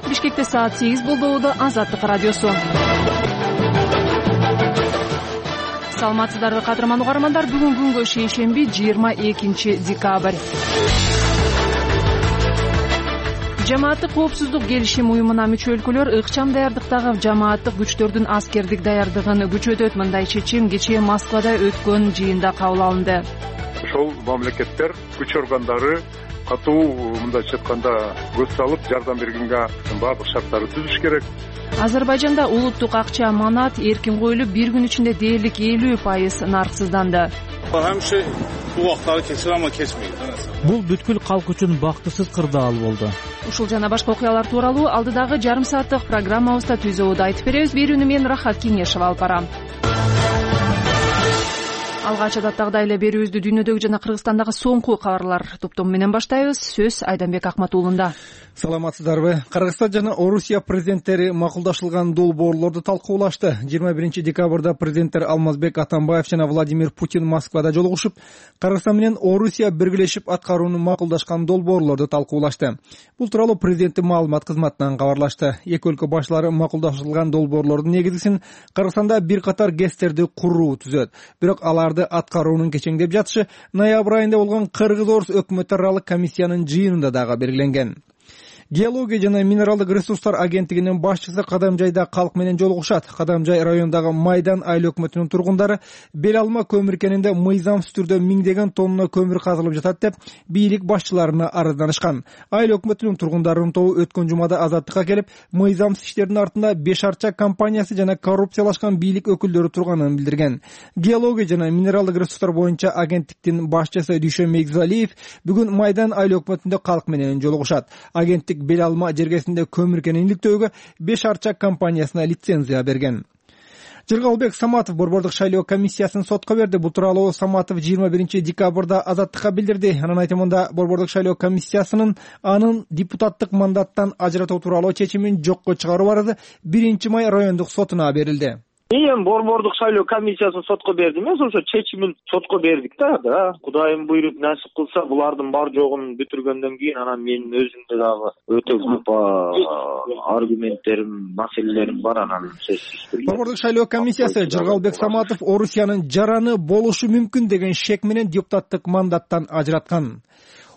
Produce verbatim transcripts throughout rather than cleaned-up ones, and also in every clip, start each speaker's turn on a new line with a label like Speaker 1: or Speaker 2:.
Speaker 1: Бишкекте саат сегиз болду. Азаттык радиосу. Саламатсыздарбы кадырман угармандар. Бүгүн күнгө шейшемби жыйырма экинчи декабрь. Жамааттык коопсуздук келишим уюмуна мүчө өлкөлөр ыкчам даярдыктагы жамааттык күчтөрдүн аскердик даярдыгын күчөтөт. Мындай чечим кечээ Москвада өткөн жыйында кабыл алынды.
Speaker 2: Ошол мамлекеттер күч органдары катуу мындайча айтканда көз салып жардам бергенге баардык шарттарды түзүш керек.
Speaker 1: Азербайжанда улуттук акча манат эркин коюлуп, бир күн ичинде дээрлик элүү пайыз нарксызданды.
Speaker 3: Бул бүткүл калк үчүн бактысыз кырдаал болду.
Speaker 1: Ушул жана башка окуялар тууралуу алдыдагы жарым сааттык программабызда түзүүдө айтып беребиз. Берүүнү мен Рахат Кеңешева алып барам. Алгач адаттагыдай эле берүүбүздү дүйнөдөгү жана Кыргызстандагы соңку кабарлар топтому менен баштайбыз. Сөз Айданбек Акматуулунда.
Speaker 4: Саламатсыздарбы? Кыргызстан жана Орусия президенттери макулдашылган долбоорлорду талкуулашты. жыйырма биринчи декабрда президенттер Алмазбек Атамбаев жана Владимир Путин Москвада жолугушуп, Кыргызстан менен Орусия биргелешип аткарууну макулдашкан долбоорлорду талкуулашты. Бул тууралуу президенттин маалымат кызматынан кабарлашты. Эки өлкө башлары макулдашылган долбоорлордун негизгисин Кыргызстанда бир катар гэстерди куруу түзөт. Бирок аларды аткаруунун кечеңдеп жатышы ноябрь айында болгон Кыргыз-Орус өкмөт аралык комиссиянын жыйынында дагы белгиленген. Геология жана минералдык ресурстар агенттигинин башчысы Кадамжайда калк менен жолугушат. Кадамжай районундагы Майдан айыл өкмөтүнүн тургундары бел алма көмүр кенинде мыйзамсыз түрдө миңдеген тонна көмүр казылып жатат деп бийлик башчыларына арызданышкан. Айыл өкмөтүнүн тургундарынын тобу өткөн жумада Азаттыкка келип, мыйзамсыз иштердин артында Беш Арча компаниясы жана коррупциялашкан бийлик өкүлдөрү турганын билдирген. Геология жана минералдык ресурстар боюнча агенттиктин башчысы Дүйшөн Мегзалиев бүгүн Майдан айыл өкмөтүндө калк менен жолугушат. Агенттик бел алма жергесинде көмүр кенин иликтөөгө Беш Арча компаниясына лицензия берген. Жыргалбек Саматов борбордук шайлоо комиссиясын сотко берди. Бул тууралуу Саматов жыйырма биринчи декабрда Азаттыкка билдирди. Анын айтымында борбордук шайлоо комиссиясынын анын депутаттык мандаттан ажыратуу тууралуу чечимин жокко чыгаруу арызы биринчи май райондук сотуна берилди.
Speaker 5: Эми борбордук шайлоо комиссиясын сотко берди эмес, ошо чечимин сотко бердик да. Да, Кудайым буйруп насип кылса, булардын бар жогун бүтүргөндөн кийин анан менин өзүмдө дагы өтө көп аргументтерим, маселелерим бар анан сөзсүз.
Speaker 4: Борбордук шайлоо комиссиясы Жыргалбек Саматов Орусиянын жараны болушу мүмкүн деген шек менен депутаттык мандаттан ажыраткан.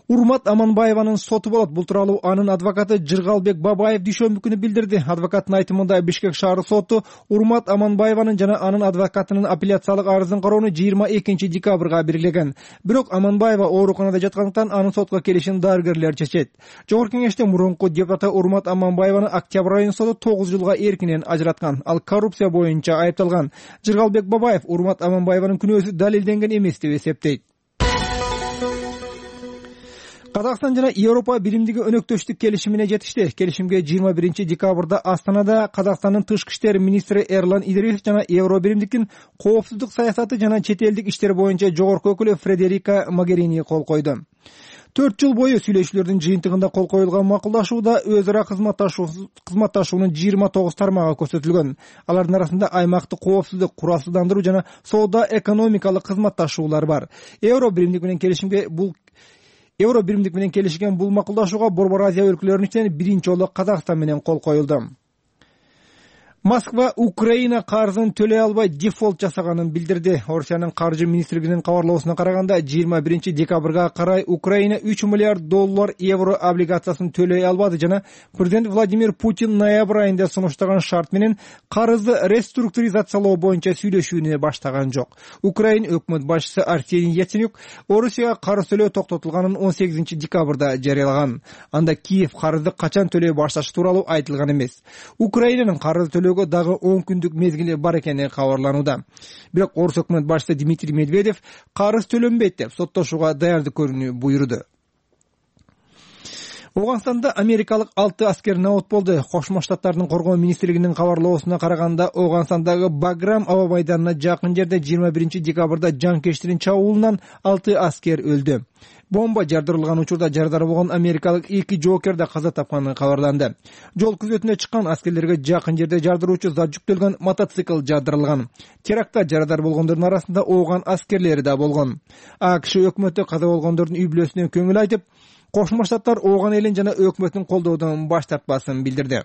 Speaker 4: Урмат Аманбаеванын соту болот. Бул тууралуу анын адвокаты Жыргалбек Бабаев дүйшөмбү күнү билдирди. Адвокаттын айтымында Бишкек шаар соту Урмат Аманбаеванын жана анын адвокатынын апелляциялык арызын кароону жыйырма экинчи декабрга белгилеген. Бирок Аманбаева ооруканада жаткандыктан анын сотко келишин дарыгерлер чечет. Жогорку кеңеште мурунку депутаты Урмат Аманбаеваны Октябрь айынын соту тогуз жылга эркинен ажыраткан. Ал коррупция боюнча айыпталган. Жыргалбек Бабаев Урмат Аманбаеванын күнөөсү далилденген эмес деп эсептейт. Казакстан жана Европа биримдиги өнөктөштүк келишимине жетишти. Келишимге жыйырма биринчи декабрда Астанада Казакстандын тышкы иштер министри Эрлан Идрисов жана Евро биримдиктин коопсуздук саясаты жана чет элдик иштер боюнча жогорку өкүлү Фредерика Могерини кол койду. төрт жыл бою сүйлөшүүлөрдүн жыйынтыгында кол коюлган макулдашууда өз ара кызматташуунун жыйырма тогуз тармагы көрсөтүлгөн. Алардын арасында аймактык коопсуздук, куралсыздандыруу жана соода экономикалык кызматташуулар бар. Евро биримдик менен келишимге бул Евро биримдик менен келишилген бул макулдашууга Борбор Азия өлкөлөрүнүн ичинен биринчи жолу Казакстан менен кол коюлду. Москва Украина карызын төлөй албай дефолт жасаганын билдирди. Орусиянын каржы министрлигинин кабарлоосуна караганда, жыйырма биринчи декабрга карай Украина үч миллиард доллар евро облигациясын төлөй албады жана президент Владимир Путин ноябрь айында сунуштаган шарт менен карызды реструктуризациялоо боюнча сүйлөшүүнү баштаган жок. Украина өкмөт башчысы Арсений Яценюк Орусияга карыз төлөө токтотулганын он сегизинчи декабрда жарыялаган. Анда Киев карызды качан төлөй башташы тууралуу айтылган эмес. Украинанын карыз төлөө дагы он күндүк мезгили бар экени кабарланууда. Бирок Орус өкмөт башчысы Дмитрий Медведев карыз төлөнбөйт деп соттошууга даярдык көрүүнү буйруду. Оганстанда америкалык алты аскер набат болду. Кошмо Штаттардын коргоо министрлигинин кабарлоосуна караганда, Оганстандагы Баграм аба майданына жакын жерде жыйырма биринчи декабрда жанкечтирин чабуулунан алты аскер өлдү. Бомба жардырылган учурда жарадар болгон америкалык эки жоокер да каза тапканы кабарланды. Жол күзөтүнө чыккан аскерлерге жакын жерде жардыруучу зат жүктөлгөн мотоцикл жардырылган. Терактта жарадар болгондордун арасында ооган аскерлери да болгон. АКШ өкмөтү каза болгондордун үй бүлөсүнө көңүл айтып, Кошмо Штаттар Ооган элин жана өкмөтүн колдоодон баш тартпасын билдирди.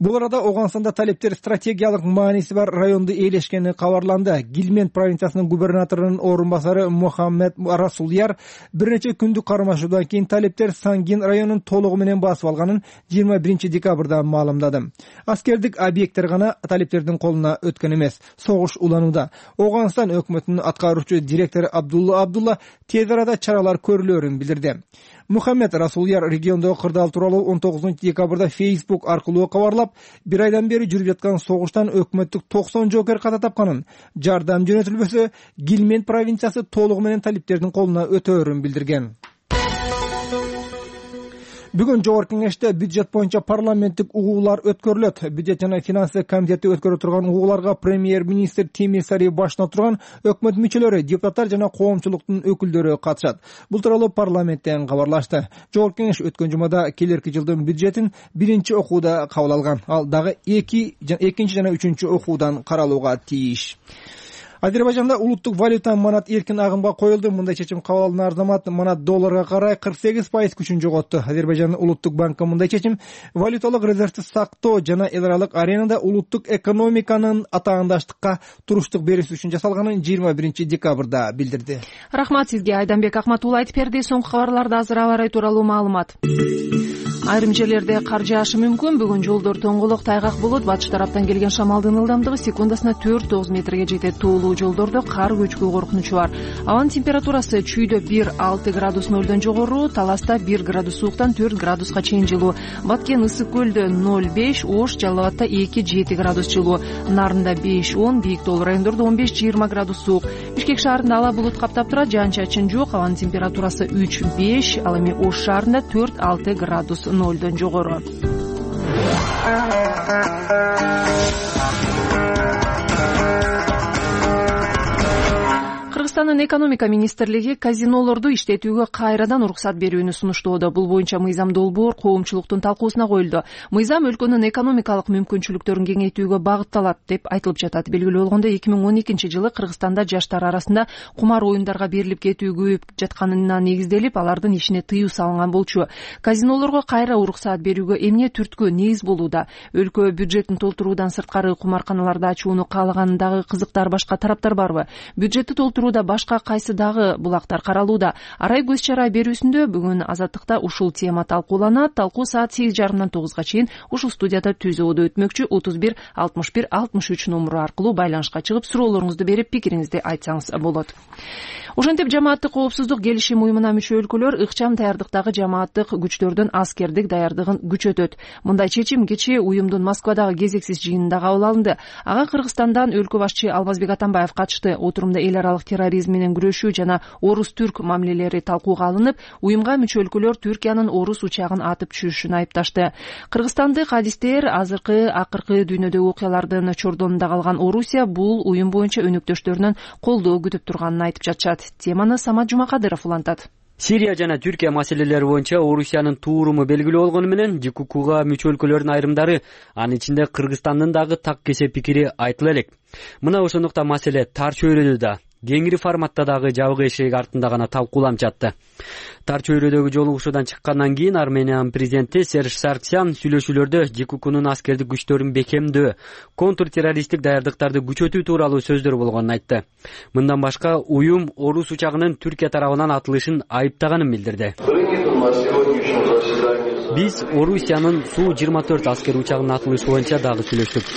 Speaker 4: Бул арада Ооганстанда талептер стратегиялык мааниси бар районду ээлешкени кабарланды. Гилмент провинциясынын губернаторунун орун басары Мухаммед Расулияр бир нече күндүк кармашуудан кийин талептер Сангин районун толугу менен басып алганын жыйырма биринчи декабрда маалымдады. Аскердик объекттер гана талептердин колуна өткөн эмес, согуш уланууда. Ооганстан өкмөтүнүн аткаруучу директору Абдулла Абдулла тез арада чаралар көрүлөрүн билдирди. Мухаммед Расулияр региондогу кырдаал тууралуу он тогузунчу декабрда Facebook аркылуу кабарлап, бир айдан бери жүрүп жаткан согуштан өкмөттүк токсон жоокер ката тапканын, жардам жөнөтүлбөсө Гилмент провинциясы толугу менен талиптердин колуна өтөөрүн билдирген. Бүгүн жогорку кеңеште бюджет боюнча парламенттик угуулар өткөрүлөт. Бюджет жана финансы комитети өткөрө турган угууларга премьер-министр Тимир Сари башына турган өкмөт мүчөлөрү, депутаттар жана коомчулуктун өкүлдөрү катышат. Бул тууралуу парламенттен кабарлашты. Жогорку кеңеш өткөн жумада келерки жылдын бюджетин биринчи окууда кабыл алган. Ал дагы эки экинчи жана үчүнчү окуудан каралууга тийиш. Азербайжанда улуттук валюта манат эркин агымга коюлду. Мындай чечим кабыл алган Арзамат манат долларга карай кырк сегиз пайыз күчүн жоготту. Азербайжандын улуттук банкы мындай чечим валюталык резервди сактоо жана эл аралык аренада улуттук экономиканын атаандаштыкка туруштук берүүсү үчүн жасалганын жыйырма биринчи декабрда билдирди.
Speaker 1: Рахмат сизге, Айданбек Акматулла айтып берди. Соңку кабарларда азыр аба ырайы тууралуу маалымат. Айрым жерлерде кар жаашы мүмкүн. Бүгүн жолдор тоңголок, тайгак болот. Батыш тараптан келген шамалдын ылдамдыгы секундасына төрт тогуз метрге жетет. Тоолуу жолдордо кар көчкү коркунучу бар. Абанын температурасы Чүйдө бир алты градус нөлдөн жогору, Таласта бир градус сууктан төрт градуска чейин жылуу. Баткен Ысык көлдө ноль беш, Ош Жалал Абадта эки жети градус жылуу. Нарында беш он, Бийик Тоол райондордо он беш жыйырма градус суук. Бишкек шаарында ала булут каптап турат, жаан-чачын жок. Абанын температурасы үч беш, ал эми Ош шаарында төрт алты градус нөлдөн жогору. Кыргызстандын экономика министрлиги казинолорду иштетүүгө кайрадан уруксат берүүнү сунуштоодо. Бул боюнча мыйзам долбоор коомчулуктун талкуусуна коюлду. Мыйзам өлкөнүн экономикалык мүмкүнчүлүктөрүн кеңейтүүгө багытталат деп айтылып жатат. Белгилүү болгондо эки миң он экинчи жылы Кыргызстанда жаштар арасында кумар оюндарга берилип кетүү көбөйүп жатканына негизделип, алардын ишине тыюу салынган болчу. Казинолорго кайра уруксат берүүгө эмне түрткү негиз болууда? Өлкө бюджетин толтуруудан сырткары кумарканаларды ачууну каалагандагы кызыктар башка тараптар барбы? Бюджетти толтурууда башка кайсы дагы булактар каралууда? Арай көз чара берүүсүндө бүгүн Азаттыкта ушул тема талкууланат. Талкуу саат сегиз жарымдан тогузга чейин ушул студияда түзөөдө өтмөкчү. отуз бир алтымыш бир алтымыш үч номуру аркылуу байланышка чыгып суроолоруңузду берип пикириңизди айтсаңыз болот. Ошентип жамааттык коопсуздук келишим уюмуна мүчө өлкөлөр ыкчам даярдыктагы жамааттык күчтөрдүн аскердик даярдыгын күчөтөт. Мындай чечим кечээ уюмдун Москвадагы кезексиз жыйынында кабыл алынды. Ага Кыргызстандан өлкө башчы Алмазбек Атамбаев катышты. Отурумда эл аралык терроризм менен күрөшүү жана орус-түрк мамилелери талкууга алынып, уюмга мүчө өлкөлөр Түркиянын орус учагын атып түшүрүшүн айыпташты. Кыргызстандык адистер азыркы акыркы дүйнөдөгү окуялардын чордонунда калган Орусия бул уюм боюнча өнөктөштөрүнөн колдоо күтүп турганын айтып жатышат. Теманы Самат Жумакадыров улантат.
Speaker 6: Сирия жана Түркия маселелери боюнча Орусиянын тууруму белгилүү болгону менен ЖККга мүчө өлкөлөрдүн айрымдары, анын ичинде Кыргызстандын дагы так кесе пикири айтыла элек. Мына ошондуктан маселе тар чөйрөдө да, кеңири форматта дагы жабык эшик артында гана талкууланып жатты. Тар чөйрөдөгү жолугушуудан чыккандан кийин Армениянын президенти Серж Сарксян сүйлөшүүлөрдө ЖККнун аскердик күчтөрүн бекемдөө, контртеррористтик даярдыктарды күчөтүү тууралуу сөздөр болгонун айтты. Мындан башка уюм орус учагынын Түркия тарабынан атылышын айыптаганын билдирди. Биз Орусиянын Су жыйырма төрт аскер учагынын атылышы боюнча дагы сүйлөштүк.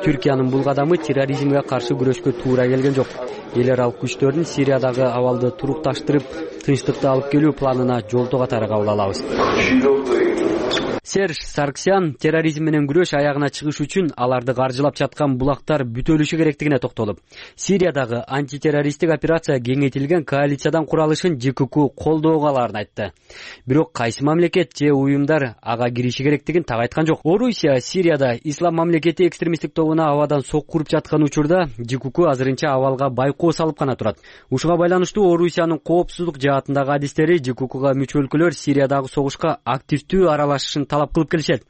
Speaker 6: Түркиянын бул кадамы терроризмге каршы күрөшкө туура келген жок. Эл аралык күчтөрдүн Сириядагы абалды турукташтырып, тынчтыкты алып келүү планына жолтоо катары кабыл алабыз. Серж Сарксян терроризм менен күрөш аягына чыгыш үчүн аларды каржылап жаткан булактар бүтөлүшү керектигине токтолуп, Сириядагы антитеррористтик операция кеңейтилген коалициядан куралышын ЖКК колдоого аларын айтты. Бирок кайсы мамлекет же уюмдар ага кириши керектигин так айткан жок. Орусия Сирияда ислам мамлекети экстремисттик тобуна абадан сокку уруп жаткан учурда ЖКК азырынча абалга байкоо салып гана турат. Ушуга байланыштуу Орусиянын коопсуздук жаатындагы адистери ЖККга мүчө өлкөлөр Сириядагы согушка активдүү аралашышын талап кылып келишет.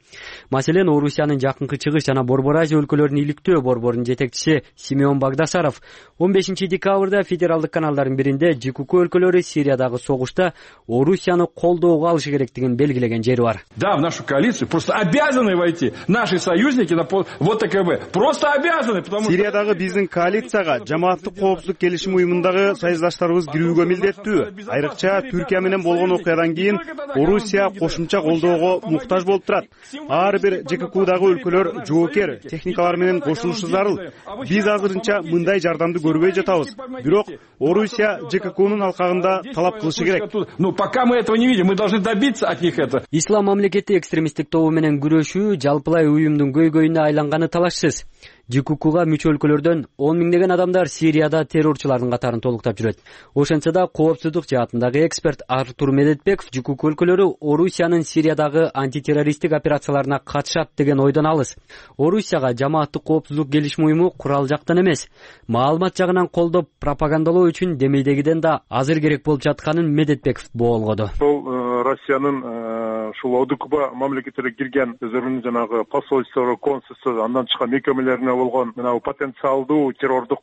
Speaker 6: Маселен, Орусиянын Жакынкы Чыгыш жана Борбор Азия өлкөлөрүн иликтөө борборунун жетекчиси Симеон Багдасаров он бешинчи декабрда федералдык каналдардын биринде ЖКК өлкөлөрү Сириядагы согушта Орусияны колдоого алышы керектигин белгилеген жери бар.
Speaker 7: Да, в нашу коалицию просто обязаны войти наши союзники на вот ТКБ. Просто обязаны, потому что
Speaker 8: Сириядагы биздин коалицияга жамааттык коопсуздук келишим уюмундагы союздаштарыбыз кирүүгө милдеттүү. Айрыкча Түркия менен болгон окуядан кийин Орусия кошумча колдоого муктаж болуп турат. Ар бир ЖККдагы өлкөлөр жоокер техникалар менен кошулушу зарыл. Биз азырынча мындай жардамды көрбөй жатабыз. Бирок Орусия ЖККнун алкагында талап кылышы керек.
Speaker 7: Ну, пока мы этого не видим, мы должны добиться от них этого.
Speaker 6: Ислам мамлекети экстремисттик тобу менен күрөшүү жалпылай уюмдун көйгөйүнө айланганы талашсыз. ЖККга мүчө өлкөлөрдөн он миңдеген адамдар Сирияда террорчулардын катарын толуктап жүрөт. Ошентсе да коопсуздук жаатындагы эксперт Артур Медетбеков ЖКК өлкөлөрү Орусиянын Сириядагы антитеррористтик операцияларына катышат деген ойдон алыс. Орусияга жамааттык коопсуздук келишим уюму курал жактан эмес, маалымат жагынан колдоп пропагандалоо үчүн демейдегиден да азыр керек болуп жатканын Медетбеков боолгоду.
Speaker 2: Сол Россиянын ушул ОДКБ мамлекетине кирген өздөрүнүн жанагы посольстволору, консулство, андан чыккан мекемелерине болгон мына потенциалдуу террордук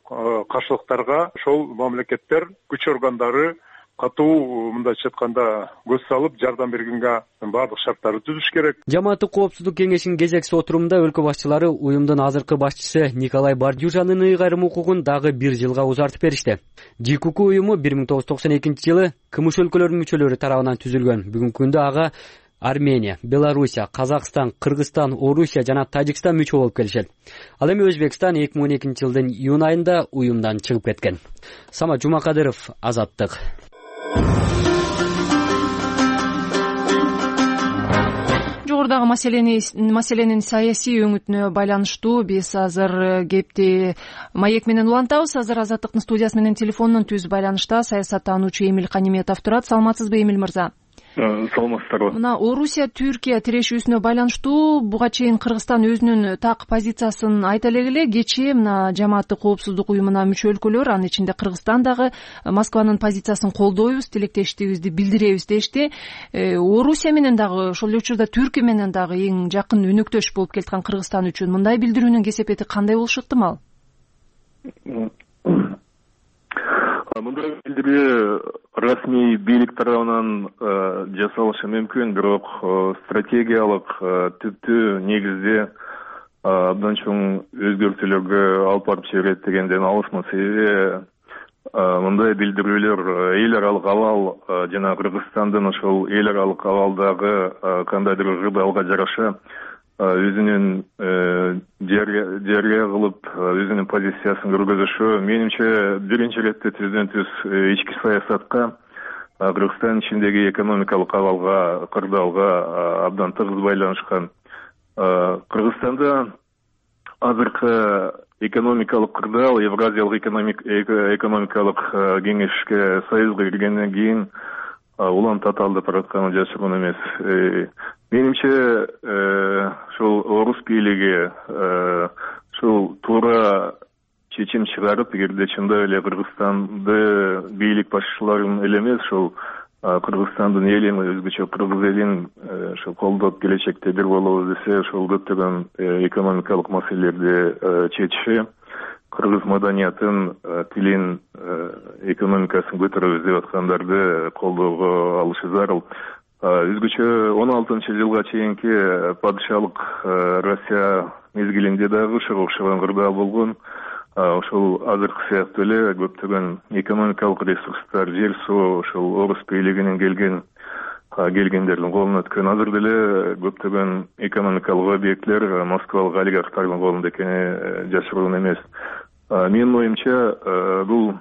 Speaker 2: каршылыктарга ошол мамлекеттер күч органдары катуу мындайча айтканда көз салып жардам бергенге баардык шарттарды түзүш керек.
Speaker 6: Жамааттык коопсуздук кеңешинин кезекси отурумунда өлкө башчылары уюмдун азыркы башчысы Николай Бардюжанын ыйгарым укугун дагы бир жылга узартып беришти. ЖКК уюму бир миң тогуз жүз токсон экинчи жылы кмш өлкөлөрүнүн мүчөлөрү тарабынан түзүлгөн. Бүгүнкү күндө ага Армения, Белоруссия, Казакстан, Кыргызстан, Орусия жана Тажикстан мүчө болуп келишет. Ал эми Өзбекстан эки миң он экинчи жылдын июнь айында уюмдан чыгып кеткен. Самат Жумакадыров, Азаттык.
Speaker 1: Жогорудагы маселени маселенин саясий өңүтүнө байланыштуу биз азыр кепти маек менен улантабыз. Азыр Азаттыктын студиясы менен телефондон түз байланышта саясаттануучу Эмил Каниметов турат. Саламатсызбы, Эмил мырза?
Speaker 2: Саламатсыздарбы.
Speaker 1: Мына Орусия Түркия тирешүүсүнө байланыштуу буга чейин Кыргызстан өзүнүн так позициясын айта эле, кечээ мына жамааттык коопсуздук уюмуна мүчө өлкөлөр, анын ичинде Кыргызстан дагы Москванын позициясын колдойбуз, тилектештигибизди билдиребиз дешти. Орусия менен дагы ошол эле учурда Түркия менен дагы эң жакын өнөктөш болуп келаткан Кыргызстан үчүн мындай билдирүүнүн кесепети кандай болушу ыктымал?
Speaker 9: Мындай билдирүү расмий бийлик тарабынан жасалышы мүмкүн, бирок стратегиялык түптүү негизде абдан чоң өзгөртүүлөргө алып барып жиберет дегенден алысмын. Себеби мындай билдирүүлөр эл аралык абал жана Кыргызстандын ошол эл аралык абалдагы кандайдыр ырдалга жараша өзүнүн жарыя кылып өзүнүн позициясын көргөзүшү менимче биринчи ирет түздөн түз ички саясатка, Кыргызстан ичиндеги экономикалык абалга, кырдаалга абдан тыгыз байланышкан. Кыргызстанда азыркы экономикалык кырдаал Евразиялык экономикалык кеңешке союзга киргенден кийин улам татаалдап баратканы жашыруун эмес. Менимче ушул орус бийлиги ушул туура чечим чыгарып, эгерде чындап эле Кыргызстанды бийлик башчыларын эле эмес, ушул Кыргызстандын элин, өзгөчө кыргыз элин ошо колдоп келечекте бир болобуз десе, ошол көптөгөн экономикалык маселелерди чечиши, кыргыз маданиятын, тилин, экономикасын көтөрөбүз деп аткандарды колдоого алышы зарыл. Өзгөчө он алтынчы жылга чейинки падышалык Россия мезгилинде дагы ушуга окшогон кырдаал болгон. Ошол азыркы сыяктуу эле көптөгөн экономикалык ресурстар, жер суу ошол орус бийлигинен келген келгендердин колуна өткөн. Азыр деле көптөгөн экономикалык объектлер москвалык олигархтардын колунда экени жашыруун эмес. Менин оюмча бул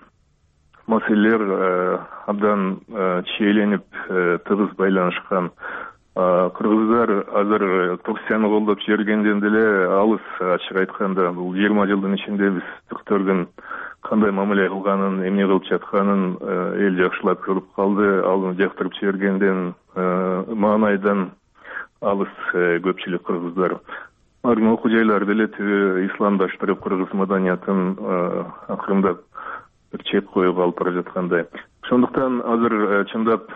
Speaker 9: маселелер абдан чийленип, тыгыз байланышкан. Кыргыздар азыр Турцияны колдоп жибергенден деле алыс, ачык айтканда, бул жыйырма жылдын ичинде биз Түрктөрдүн кандай мамиле кылганын, эмне кылып жатканын эл жакшылап көрүп калды. Ал жактырып жибергенден маанайдан алыс көпчүлүк кыргыздар. Армы окуу жайлар деле түбү исламдаштырып, кыргыз маданиятын акырындап бир чет коюп алып бара жаткандай. Ошондуктан азыр чындап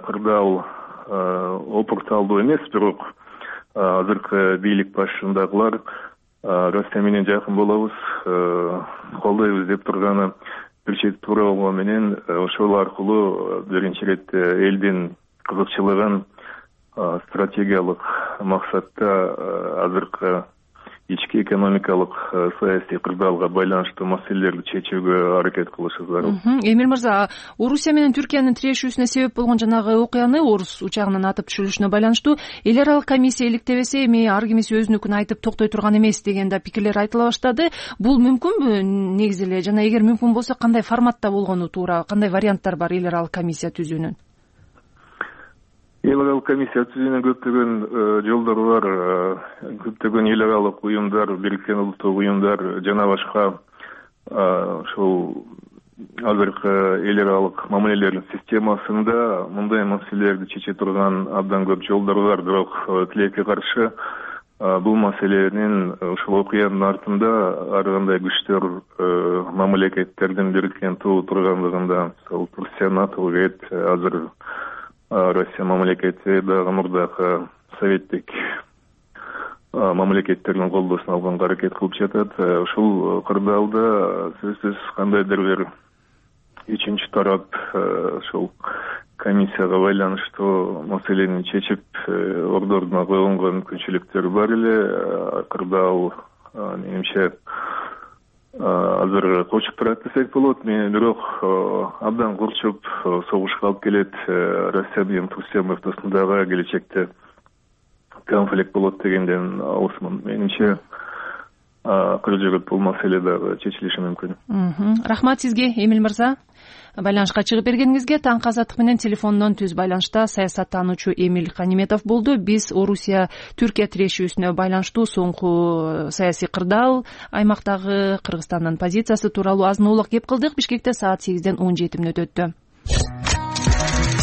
Speaker 9: кырдаал опурталдуу эмес, бирок азыркы бийлик башындагылар Россия менен жакын болобуз, колдойбуз деп турганы бир чети туура болгону менен ошол аркылуу биринчи ирет элдин кызыкчылыгын стратегиялык максатта азыркы ички экономикалык саясий кырдаалга байланыштуу маселелерди чечүүгө аракет кылышы зарыл.
Speaker 1: Эмил мырза, Орусия менен Түркиянын тирешүүсүнө себеп болгон жанагы окуяны Орус учагынын атып түшүрүлүшүнө байланыштуу эл аралык комиссия иликтебесе, эми ар кимиси өзүнүкүн айтып токтой турган эмес деген да пикирлер айтыла баштады. Бул мүмкүнбү негизи эле? Жана эгер мүмкүн болсо кандай форматта болгону туура, кандай варианттар бар эл аралык комиссия түзүүнүн?
Speaker 9: Эл аралык комиссия түзүүнүн көптөгөн жолдору бар. Көптөгөн эл аралык уюмдар, Бириккен Улуттук уюмдар жана башка ушул азыркы эл аралык мамилелердин системасында мындай маселелерди чече турган абдан көп жолдор бар. Бирок тилекке каршы бул маселенин ушул окуянын артында ар кандай күчтөр мамлекеттердин бириккен туу тургандыгында, мисалы Турция, НАТО, ЭТ, азыр Россия мамлекети дагы мурдакы советтик мамлекеттердин колдоосун алганга аракет кылып жатат. Ушул кырдаалда сөзсүз кандайдыр бир үчүнчү тарап ушул комиссияга байланыштуу маселени чечип ордоруна койгонго мүмкүнчүлүктөр бар эле. Кырдаал менимче азыр кочуп турат десек болот. Мен бирок абдан курчуп согушка алып келет. Россия менен Турция ортосундагы келечекте конфликт болот дегенден алысмын. Менимче кыргыз бул маселе дагы чечилиши мүмкүн.
Speaker 1: Рахмат сизге, Эмил мырза. Байланышка чыгып бергениңизге. Таңкы Азаттык менен телефондон түз байланышта саясаттануучу Эмил Каниметов болду. Биз Орусия Түркия тирешүүсүнө байланыштуу соңку саясий кырдаал, аймактагы Кыргызстандын позициясы тууралуу азын-аулак кеп кылдык. Бишкекте саат сегизден он жети мүнөт өттү.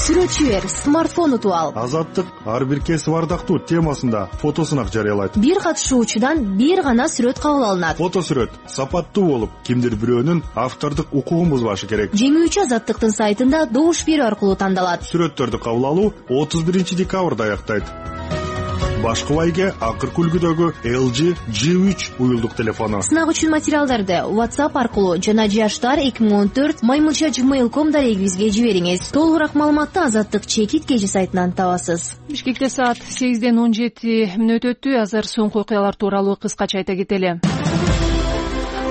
Speaker 10: Сүрөтчү бер, смартфон утуп ал.
Speaker 11: Азаттык ар бир кесип ардактуу темасында фотосунак жарыялайт.
Speaker 10: Бир катышуучудан бир гана сүрөт кабыл алынат.
Speaker 11: Фото сүрөт сапаттуу болуп, кимдир бирөөнүн автордук укугун бузбашы керек.
Speaker 10: Жеңүүчү Азаттыктын сайтында добуш берүү аркылуу тандалат.
Speaker 11: Сүрөттөрдү кабыл алуу отуз биринчи декабрда аяктайт. Башкы байге акыркы үлгүдөгү эл джи джи үч уюлдук телефону.
Speaker 10: Сынак үчүн материалдарды WhatsApp аркылуу жана жаштар эки миң он төрт маймылча gmail точка ком дарегибизге жибериңиз. Толугураак маалыматты Азаттык чекит кежи сайтынан табасыз.
Speaker 1: Бишкекте саат сегизден он жети мүнөт өттү. Азыр соңку окуялар тууралуу кыскача айта кетели.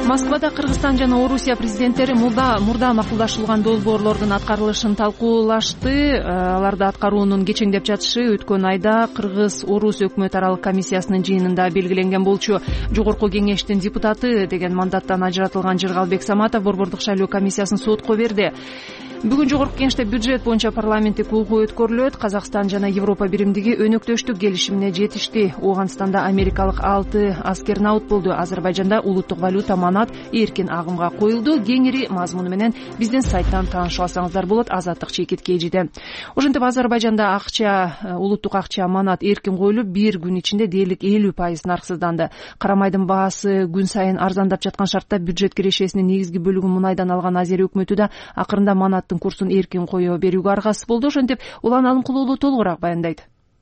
Speaker 1: Москвада Кыргызстан жана Орусия президенттери мурда мурда макулдашылган долбоорлордун аткарылышын талкуулашты. Аларды аткаруунун кечеңдеп жатышы өткөн айда Кыргыз-Орус өкмөт аралык комиссиясынын жыйынында белгиленген болчу. Жогорку кеңештин депутаты деген мандаттан ажыратылган Жыргалбек Саматов борбордук шайлоо комиссиясын сотко берди. Бүгүн жогорку кеңеште бюджет боюнча парламенттик окуу өткөрүлөт. Казакстан жана Европа биримдиги өнөктөштүк келишимине жетишти. Ооганстанда америкалык алты аскер наут болду. Азербайжанда улуттук валюта манат эркин агымга коюлду. Кеңири мазмуну менен биздин сайттан таанышып алсаңыздар болот. Азаттык чекит кежиде. Ошентип Азербайжанда акча, улуттук акча манат эркин коюлуп, бир күн ичинде дээрлик элүү пайыз нарксызданды. Кара майдын баасы күн сайын арзандап жаткан шартта бюджет кирешесинин негизги бөлүгүн мунайдан алган Азер өкмөтү да акырында манаттын курсун эркин кое берүүгө аргасыз болду. Ошентип Улан Алымкулуулу толугураак баяндайт.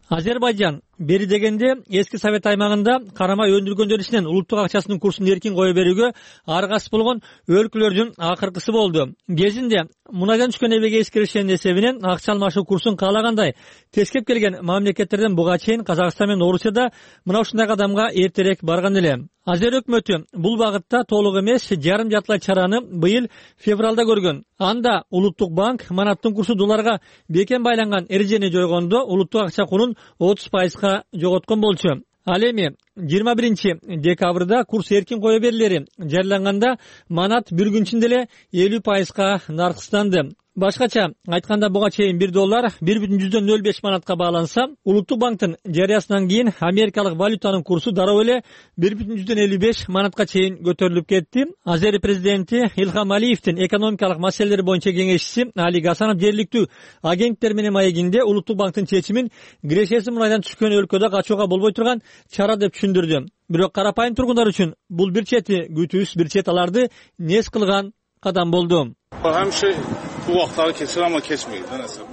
Speaker 3: Азербайжан бери дегенде эски совет аймагында карамай өндүргөндөр ичинен улуттук акчасынын курсун эркин кое берүүгө аргасыз болгон өлкөлөрдүн акыркысы болду. Кезинде мунайдан түшкөн эбеге эскеришенин эсебинен акча алмашуу курсун каалагандай тескеп келген мамлекеттерден буга чейин Казакстан менен Орусияда мына ушундай кадамга эртерээк барган эле. Азер өкмөтү бул багытта толук эмес жарым жартылай чараны быйыл февралда көргөн. Анда улуттук банк манаттын курсу долларга бекем байланган эрежени жойгондо улуттук акча курун отуз пайызга жоготкон болчу. Ал эми жыйырма биринчи декабрда курс эркин кое берилери жарыяланганда манат бир күн ичинде эле элүү пайызга нарксызданды. Башкача айтканда буга чейин бир доллар бир бүтүн жүздөн нөл беш манатка бааланса, улуттук банктын жарыясынан кийин америкалык валютанын курсу дароо эле бир бүтүн жүздөн элүү беш манатка чейин көтөрүлүп кетти. Азер президенти Илхам Алиевдин экономикалык маселелер боюнча кеңешчиси Али Гасанов жергиликтүү агенттер менен маегинде улуттук банктын чечимин кирешеси мурайдан түшкөн өлкөдө качууга болбой турган чара деп түшүндүрдү. Бирок карапайым тургундар үчүн бул бир чети күтүүсүз, бир чет аларды нес кылган кадам болду.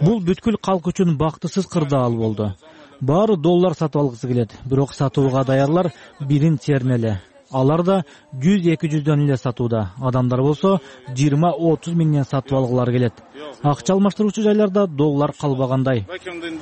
Speaker 12: Бул бүткүл калк үчүн бактысыз кырдаал болду. Баары доллар сатып алгысы келет, бирок сатууга даярлар бирин терме эле. Алар да жүз эки жүздөн эле сатууда. Адамдар болсо жыйырма отуз миңден сатып алгылар келет. Акча алмаштыруучу жайларда доллар калбагандай.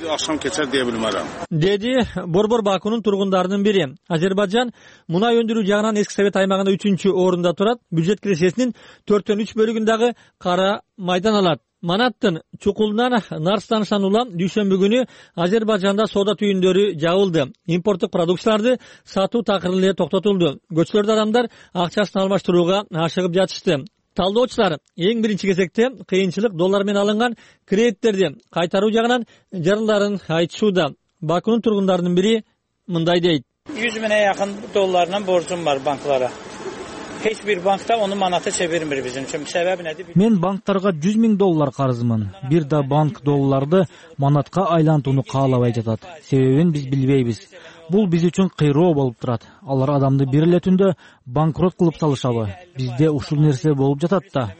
Speaker 13: Акшам кечер дей билмерем.
Speaker 3: Деди Борбор Бакунун тургундарынын бири. Азербайжан мунай өндүрүү жагынан эски совет аймагында үчүнчү орунда турат. Бюджет киресесинин төрттөн үч бөлүгүн дагы кара майдан алат. Манаттын чукулунан нарстанышан улам дүйшөмбү күнү Азербайжанда соода түйүндөрү жабылды. Импорттук продукцияларды сатуу такыр эле токтотулду. Көчөлөрдө адамдар акчасын алмаштырууга ашыгып жатышты. Талдоочулар эң биринчи кезекте кыйынчылык доллар менен алынган кредиттерди кайтаруу жагынан жарыларын айтышууда. Бакунун тургундарынын бири мындай дейт.
Speaker 14: жүз миңе жакын долларынан борчум бар банклара. Hiç bir bankta onu manata çevirmir bizim için. Sebebi nedir?
Speaker 12: Мен банктарга жүз миң доллар карызмын. Бир да банк долларды манатка айлантууну каалабай жатат. Себебин биз билбейбиз. Бул биз үчүн кыйроо болуп турат. Алар адамды бир эле түндө банкрот кылып салышабы? Бизде ушул нерсе болуп жатат да.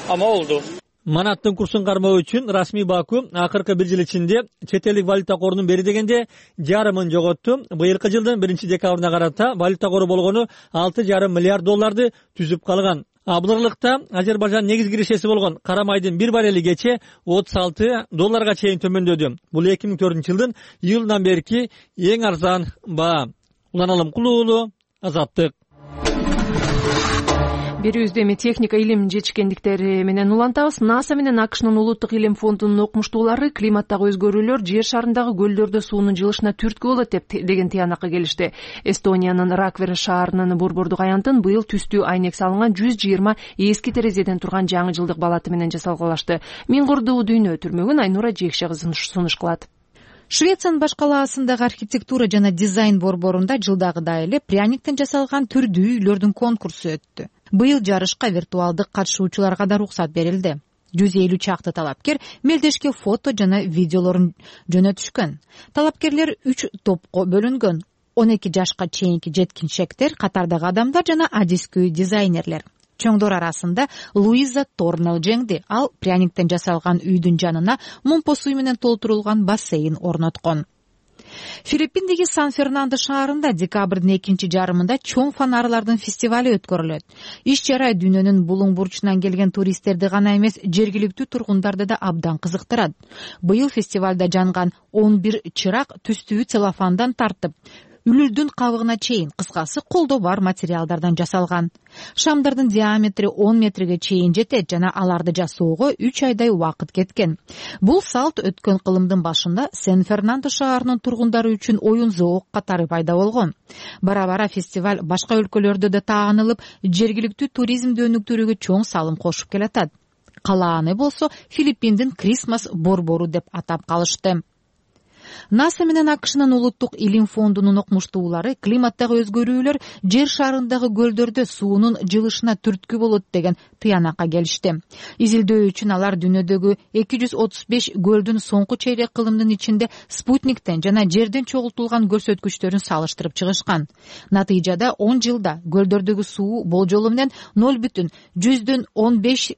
Speaker 14: Ama oldu.
Speaker 3: Манаттын курсун кармоо үчүн расмий Баку акыркы бир жыл ичинде чет элдик валюта корунун бери дегенде жарымын жоготту. Быйылкы жылдын биринчи декабрына карата валюта кору болгону алты жарым миллиард долларды түзүп калган. Бул аралыкта Азербайжан негизги кирешеси болгон кара майдын бир баррели кече отуз алты долларга чейин төмөндөдү. Бул эки миң төртүнчү жылдын июлунан берки эң арзан баа. Уланалым Кулуулу, Азаттык.
Speaker 1: Берүүбүздө эми техника илим жетишкендиктери менен улантабыз. НАСА менен АКШнын улуттук илим фондунун окумуштуулары климаттагы өзгөрүүлөр жер шарындагы көлдөрдө суунун жылышына түрткү болот деп деген тыянакка келишти. Эстониянын Раквер шаарынын борбордук аянтын быйыл түстүү айнек салынган жүз жыйырма эски терезеден турган жаңы жылдык балаты менен жасалгалашты. Миң курдуу дүйнө түрмөгүн Айнура Жекше кызы сунуш кылат.
Speaker 15: Швециянын баш калаасындагы архитектура жана дизайн борборунда жылдагыдай эле пряниктен жасалган түрдүү үйлөрдүн конкурсу өттү. Быйыл жарышка виртуалдык катышуучуларга да уруксат берилди. жүз элүү чакты талапкер мелдешке фото жана видеолорун жөнөтүшкөн. Талапкерлер үч топко бөлүнгөн. он эки жашка чейинки жеткинчектер, катардагы адамдар жана адискүү дизайнерлер. Чоңдор арасында Луиза Торнел жеңди. Ал пряниктен жасалган үйдүн жанына мумпо суу менен толтурулган бассейн орноткон. Филиппиндеги Сан-Фернандо шаарында декабрдын экинчи жарымында чоң фонарлардын фестивали өткөрүлөт. Иш чара дүйнөнүн булуң бурчунан келген туристтерди гана эмес, жергиликтүү тургундарды да абдан кызыктырат. Быйыл фестивалда жанган он бир чырак түстүү целлофандан тартып, үлүлдүн кабыгына чейин, кыскасы колдо бар материалдардан жасалган. Шамдардын диаметри он метрге чейин жетет жана аларды жасоого үч айдай убакыт кеткен. Бул салт өткөн кылымдын башында Сан-Фернандо шаарынын тургундары үчүн оюн зоок катары пайда болгон. Бара-бара фестиваль башка өлкөлөрдө да таанылып, жергиликтүү туризмди өнүктүрүүгө чоң салым кошуп келатат. Калааны болсо Филиппиндин Крисмас борбору деп атап калышты. НАСА менен АКШнын улуттук илим фондунун окумуштуулары климаттагы өзгөрүүлөр жер шарындагы көлдөрдө суунун жылышына түрткү болот деген тыянакка келишти. Изилдөө үчүн алар дүйнөдөгү эки жүз отуз беш көлдүн соңку чейрек кылымдын ичинде спутниктен жана жерден чогултулган көрсөткүчтөрүн салыштырып чыгышкан. Натыйжада он жылда көлдөрдөгү суу болжолу менен ноль бүтүн жүздөн он беш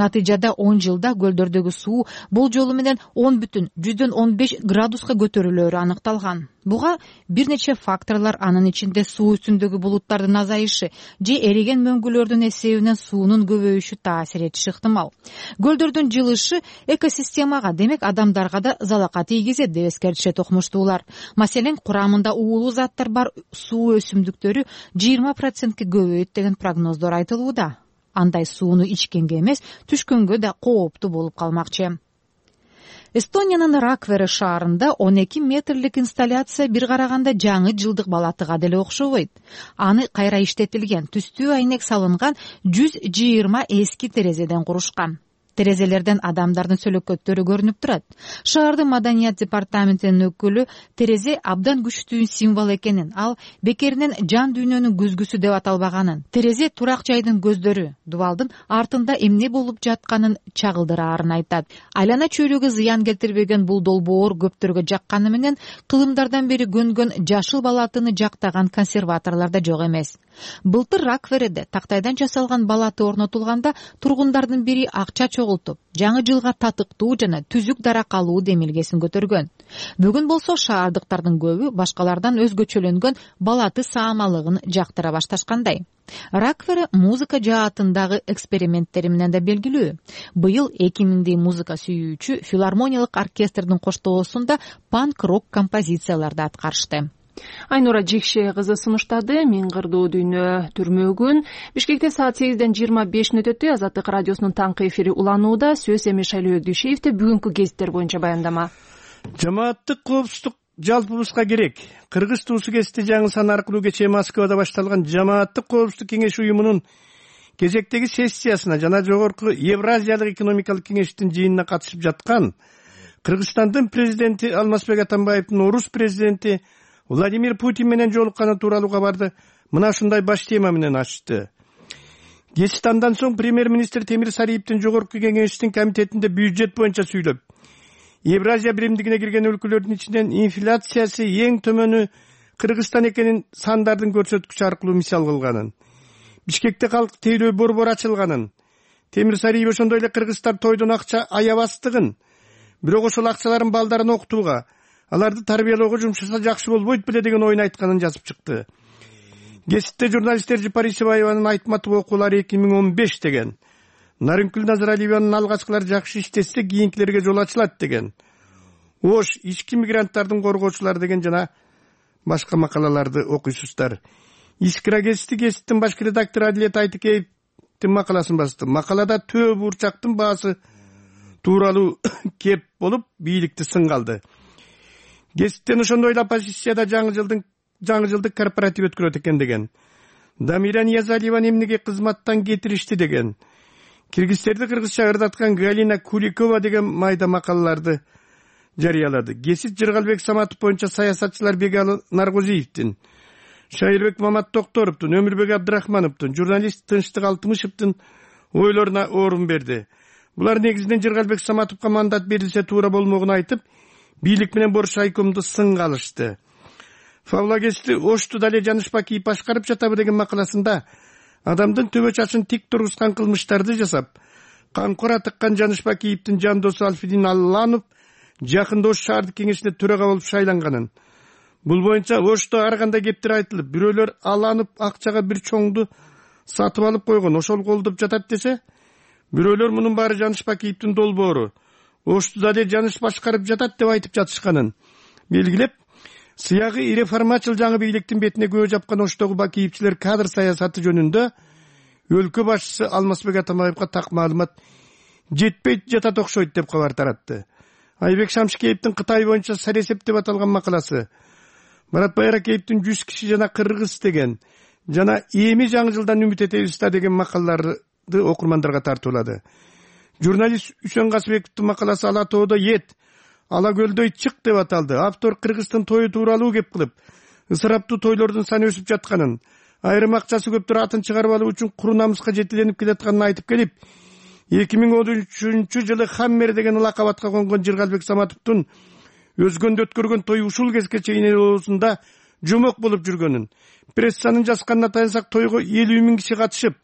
Speaker 15: Натыйжада он жылда көлдөрдөгү суу болжолу менен он бүтүн жүздөн он беш градуска көтөрүлөөрү аныкталган. Буга бир нече факторлор, анын ичинде суу үстүндөгү булуттардын азайышы же эриген мөңгүлөрдүн эсебинен суунун көбөйүшү таасир этиши ыктымал. Көлдөрдүн жылышы экосистемага, демек адамдарга да залака тийгизет деп эскертишет окумуштуулар. Маселен, курамында уулуу заттар бар суу өсүмдүктөрү жыйырма процентке көбөйөт деген прогноздор айтылууда. Андай сууну ичкенге эмес, түшкөнгө да кооптуу болуп калмакчы. Эстониянын Раквер шаарында он эки метрлик инсталляция бир караганда жаңы жылдык балатыга деле окшобойт. Аны кайра иштетилген, түстүү айнек салынган жүз жыйырма эски терезеден курушкан. Терезелерден адамдардын сөлөкөттөрү көрүнүп турат. Шаардын маданият департаментинин өкүлү терезе абдан күчтүү символ экенин, ал бекеринен жан дүйнөнүн көзгүсү деп аталбаганын, терезе турак жайдын көздөрү, дубалдын артында эмне болуп жатканын чагылдыраарын айтат. Айлана чөйрөгө зыян келтирбеген бул долбоор көптөргө жакканы менен кылымдардан бери көнгөн жашыл балатыны жактаган консерваторлор да жок эмес. Былтыр Раквереде тактайдан жасалган балаты орнотулганда тургундардын бири акча чогултуп, жаңы жылга татыктуу жана түзүк дарак алуу демилгесин көтөргөн. Бүгүн болсо шаардыктардын көбү башкалардан өзгөчөлөнгөн балаты саамалыгын жактыра башташкандай. Раквере музыка жаатындагы эксперименттери менен да белгилүү. Быйыл эки миңдей музыка сүйүүчү филармониялык оркестрдин коштоосунда панк-рок композицияларды аткарышты.
Speaker 1: Айнура Жекше кызы сунуштады. Мен кырдуу дүйнө түрмөгүн. Бишкекте саат сегизден жыйырма беш мүнөт өттү. Азаттык радиосунун таңкы эфири уланууда. Сөз эми Шайлоо Дүйшеевде бүгүнкү гезиттер боюнча баяндама.
Speaker 16: Жамааттык коопсуздук жалпыбызга керек. Кыргыз туусу кести жаңы сан аркылуу кечээ Москвада башталган Жамааттык коопсуздук кеңеш уюмунун кезектеги сессиясына жана жогорку Евразиялык экономикалык кеңештин жыйынына катышып жаткан Кыргызстандын президенти Алмазбек Атамбаевдин орус президенти Владимир Путин менен жолукканы тууралуу кабарды мына ушундай баш тема менен ачты. Кечки андан соң премьер-министр Темир Сариевдин жогорку кеңештин комитетинде бюджет боюнча сүйлөп, Евразия биримдигине кирген өлкөлөрдүн ичинен инфляциясы эң төмөнү Кыргызстан экенин сандардын көрсөткүчү аркылуу мисал кылганын, Бишкекте калк тейлөө борбор ачылганын, Темир Сариев ошондой эле кыргыздар тойдон акча аябастыгын, бирок ошол акчаларын балдарын окутууга, аларды тарбиялоого жумшаса жакшы болбойт беле деген оюн айтканын жазып чыкты. Гезитте журналисттер Жапарисебаеванын айтматов окуулары эки миң он беш деген, Нарынкүл Назаралиеванын алгачкылар жакшы иштесе кийинкилерге жол ачылат деген, Ош ички мигранттардын коргоочулары деген жана башка макалаларды окуйсуздар. Искра гезити гезиттин башкы редактору Адилет Айтыкеевдин макаласын басты. Макалада төө бурчактын баасы тууралуу кеп болуп, бийликти сынга алды. Гезиттен ошондой эле оппозицияда жаңы жылдын жаңы жылдык корпоратив өткөрөт экен деген. Дамира Ниязалиеваны эмнеге кызматтан кетиришти деген. Киргизтерди кыргызча ырдаткан Галина Куликова деген майда макалаларды жарыялады. Гезит Жыргалбек Саматов боюнча саясатчылар Бегалы Наргозиевдин, Шайырбек Мамат Токторовдун, Өмүрбек Абдрахмановдун, журналист Тынчтык Алтымышевдин ойлоруна орун берди. Булар негизинен Жыргалбек Саматовго мандат берилсе туура болмогун айтып, бийлик менен Боруш айкомду сынга алышты. Фавла гезити Ошту дале Жанышбакиев башкарып жатабы деген макаласында адамдын төбө чачын тик тургузган кылмыштарды жасап, камкора тыккан Жанышбакиевдин жандосу Алфидин Алланов жакында Ош шаардык кеңешине төрага болуп шайланганын. Бул боюнча Ошто ар кандай кептер айтылып, бирөөлөр Алланов акчага бир чоңду сатып алып койгон, ошол колдоп жатат десе, бирөөлөр мунун баары Жанышбакиевдин долбоору, Ошту дале Жаныш башкарып жатат деп айтып жатышканын белгилеп, сыягы реформачыл жаңы бийликтин бетине көө жапкан Оштогу бакиевчилер кадр саясаты жөнүндө өлкө башчысы Алмазбек Атамбаевга так маалымат жетпейт жатат окшойт деп кабар таратты. Айбек Шамшикеевдин Кытай боюнча саресеп деп аталган макаласы, Маратбай Аракеевдин жүз киши жана кыргыз деген жана эми жаңы жылдан үмүт этебиз да деген макалаларды окурмандарга тартуулады. Журналист Үсөн Касыбековдун макаласы Ала тоодо эт, Ала көлдөй чык деп аталды. Автор Кыргыздын тою тууралуу кеп кылып, ысыраптуу тойлордун саны өсүп жатканын, айрым акчасы көптөр атын чыгарып алуу үчүн куру намыска жетиленип келатканын айтып келип, эки миң он үчүнчү жылы Хаммер деген лакабатка конгон Жыргалбек Саматовдун өзгөндө өткөргөн тою ушул кезге чейин эл оозунда жомок болуп жүргөнүн, прессанын жазганына таянсак тойго элүү миң киши катышып,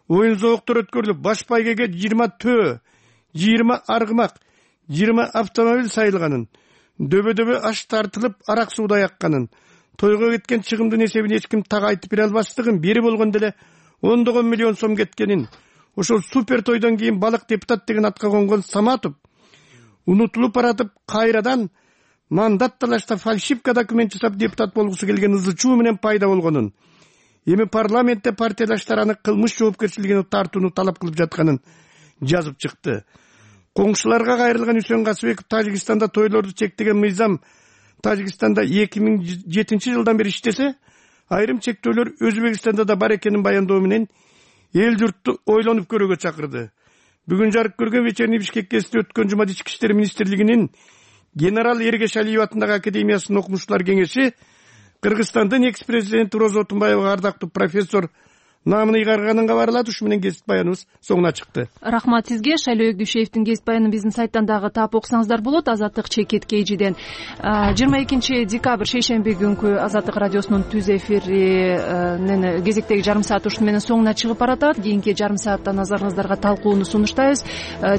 Speaker 16: оюн зооктор өткөрүлүп, баш байгеге жыйырма төө, жыйырма аргымак, жыйырма автомобиль сайылганын, дөбө-дөбө аш тартылып, арак сууда якканын, тойго кеткен чыгымдын эсебин эч ким так айтып бере албастыгын, бери болгондо эле ондогон миллион сом кеткенин, ошол супер тойдон кийин балык депутат деген атка конгон Саматов унутулуп баратып, кайрадан мандат талашта фальшивка документ жасап депутат болгусу келген ызы чуу менен пайда болгонун, эми парламентте партиялаштар аны кылмыш жоопкерчилигине тартууну талап кылып жатканын жазып чыкты. Коңшуларга кайрылган Үсөн Касыбеков Тажикстанда тойлорду чектеген мыйзам Тажикстанда эки миң жетинчи жылдан бери иштесе, айрым чектөөлөр Өзбекстанда да бар экенин баяндоо менен эл журтту ойлонуп көрүүгө чакырды. Бүгүн жарык көргөн вечерний Бишкек кезинде өткөн жумада Ички иштер министрлигинин генерал Эргеш Алиев атындагы академиясынын окумуштуулар кеңеши Кыргызстандын экс-президенти Роза Отунбаевага ардактуу профессор наамын ыйгарганын кабарлады. Ушу менен кесип баяныбыз соңуна чыкты.
Speaker 1: Рахмат сизге. Шайлоо Өгдүшевдин кесип баянын биздин сайттан дагы таап окусаңыздар болот. Азаттык чекит кейжиден жыйырма экинчи декабрь шейшемби күнкү Азаттык радиосунун түз эфиринин кезектеги жарым саат ушун менен соңуна чыгып баратат. Кийинки жарым саатта назарыңыздарга талкууну сунуштайбыз.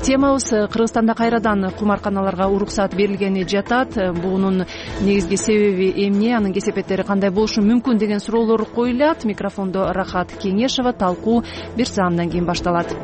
Speaker 1: Темабыз Кыргызстанда кайрадан кумарканаларга уруксат берилгени жатат. Бунун негизги себеби эмне, анын кесепеттери кандай болушу мүмкүн деген суроолор коюлат. Микрофондо Рахат Кеңешова. Талкуу бир саамдан кийин башталат.